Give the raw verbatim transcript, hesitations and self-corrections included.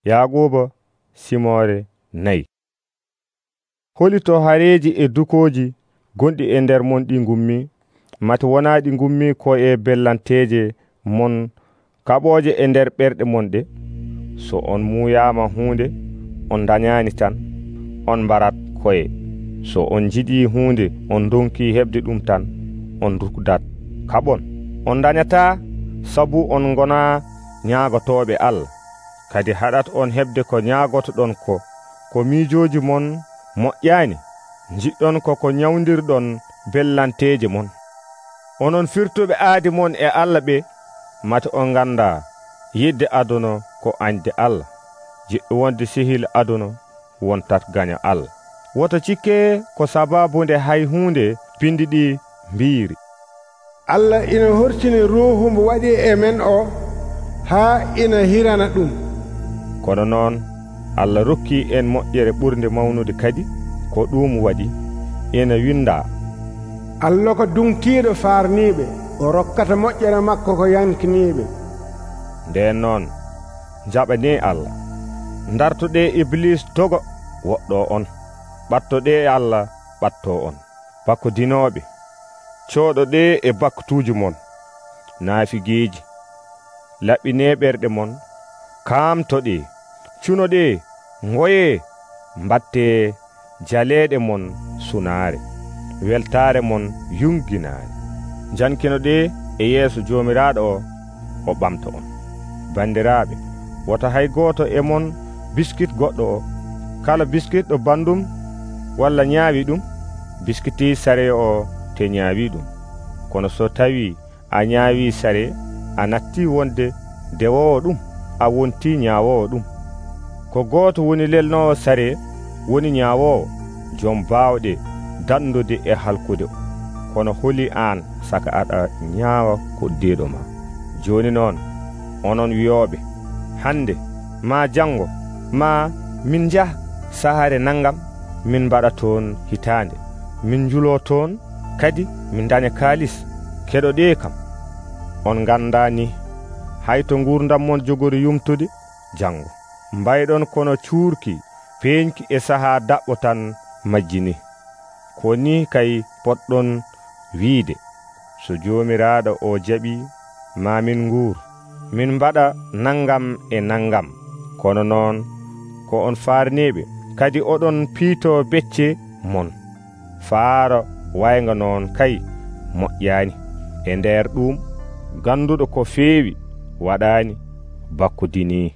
Yaaquuba simoore nayi. Holito hareeji e dukooji gonɗi e nder mon ɗi ngummi, mati wonaa ɗi ngummi ko e bellanteeje mon kaɓooje e nder ɓerɗe mon ɗe. So on muuyaama huunde, on dañaani tan, on mbarat koye. So on njiɗii huunde, on donkii heɓde ɗum tan, on rukdat. Kaɓon, on dañataa sabu on ngonaa ñaagotooɓe Allah. Kadi haɗat on heɓde ko ñaagotoɗon ko. Ko miijooji mon moƴƴaani, njiɗɗon ko ko nyawdirɗon bellanteeje mon. Onon firtuɓe aadi mon e Allah ɓe, mati on nganndaa yidde aduna ko añde Allah. Jiɗɗo wonde sehil aduna wontat gaña Allah. Woto cikkee ko sababunde hay huunde bindi ɗi mbiiri. Allah ina hortini ruuhu mbo waɗi e men o haa ina hirana ɗum. Kono noon Allah rokkii en moƴƴere ɓurde mawnude kadi ko ɗum waɗi ina windaa. Allah ko dunkiiɗo faarniiɓe, o rokkata moƴƴere makko ko yankiniiɓe. Nden noon jaɓanee Allah. Ndartoɗee Iblis dogo woɗɗoo on. Ɓattoɗee Allah ɓattoo on. Bakkodinooɓe, cooɗoɗee e bakkutuuji mon. Naafigeeji, laɓɓinee ɓerɗe mon. Kaamtoɗee, cunoɗee, ngoyee, mbattee jaleeɗe mon sunaare, weltaare mon yunginaare. Jankinoɗee e yeeso Joomiraaɗo o, o ɓamta on. Bandiraaɓe, woto hay gooto e mon biskit goɗɗo o. Kala biskit ɗo bandum walla ñaawi ɗum, biskitii sare o te ñaawi ɗum. Kono so tawii a ñaawi sare, a nattii wonde dewowo ɗum, a wontii ñaawowo ɗum. Ko gooto woni lelnoowo sare woni ñaawowo, jom baawɗe dandude e halkude o. Kono holi aan saka aɗa ñaawa koddeeɗo ma. Jooni noon, onon wiyooɓe, hande maa janngo maa min njaha sahaare nangam, min mbaɗa toon hitaande, min njuloo toon, kadi min daña kaalis. Keɗoɗee kam, on nganndaa ni hay to nguurdam mon jogori yumtude janngo. Mbayɗon kono cuurki peeñki e sahaa daɓɓo tan majjini. Ko ni kay poɗɗon wiide, so Joomiraaɗo o jaɓii, maa min nguur, min mbaɗa nangam e nangam. Kono noon ko on faarniiɓe, kadi oɗon piitoo becce mon. Faaro waynga noon kay moƴƴaani. E nder ɗum, ganduɗo ko feewi waɗaani bakkodinii.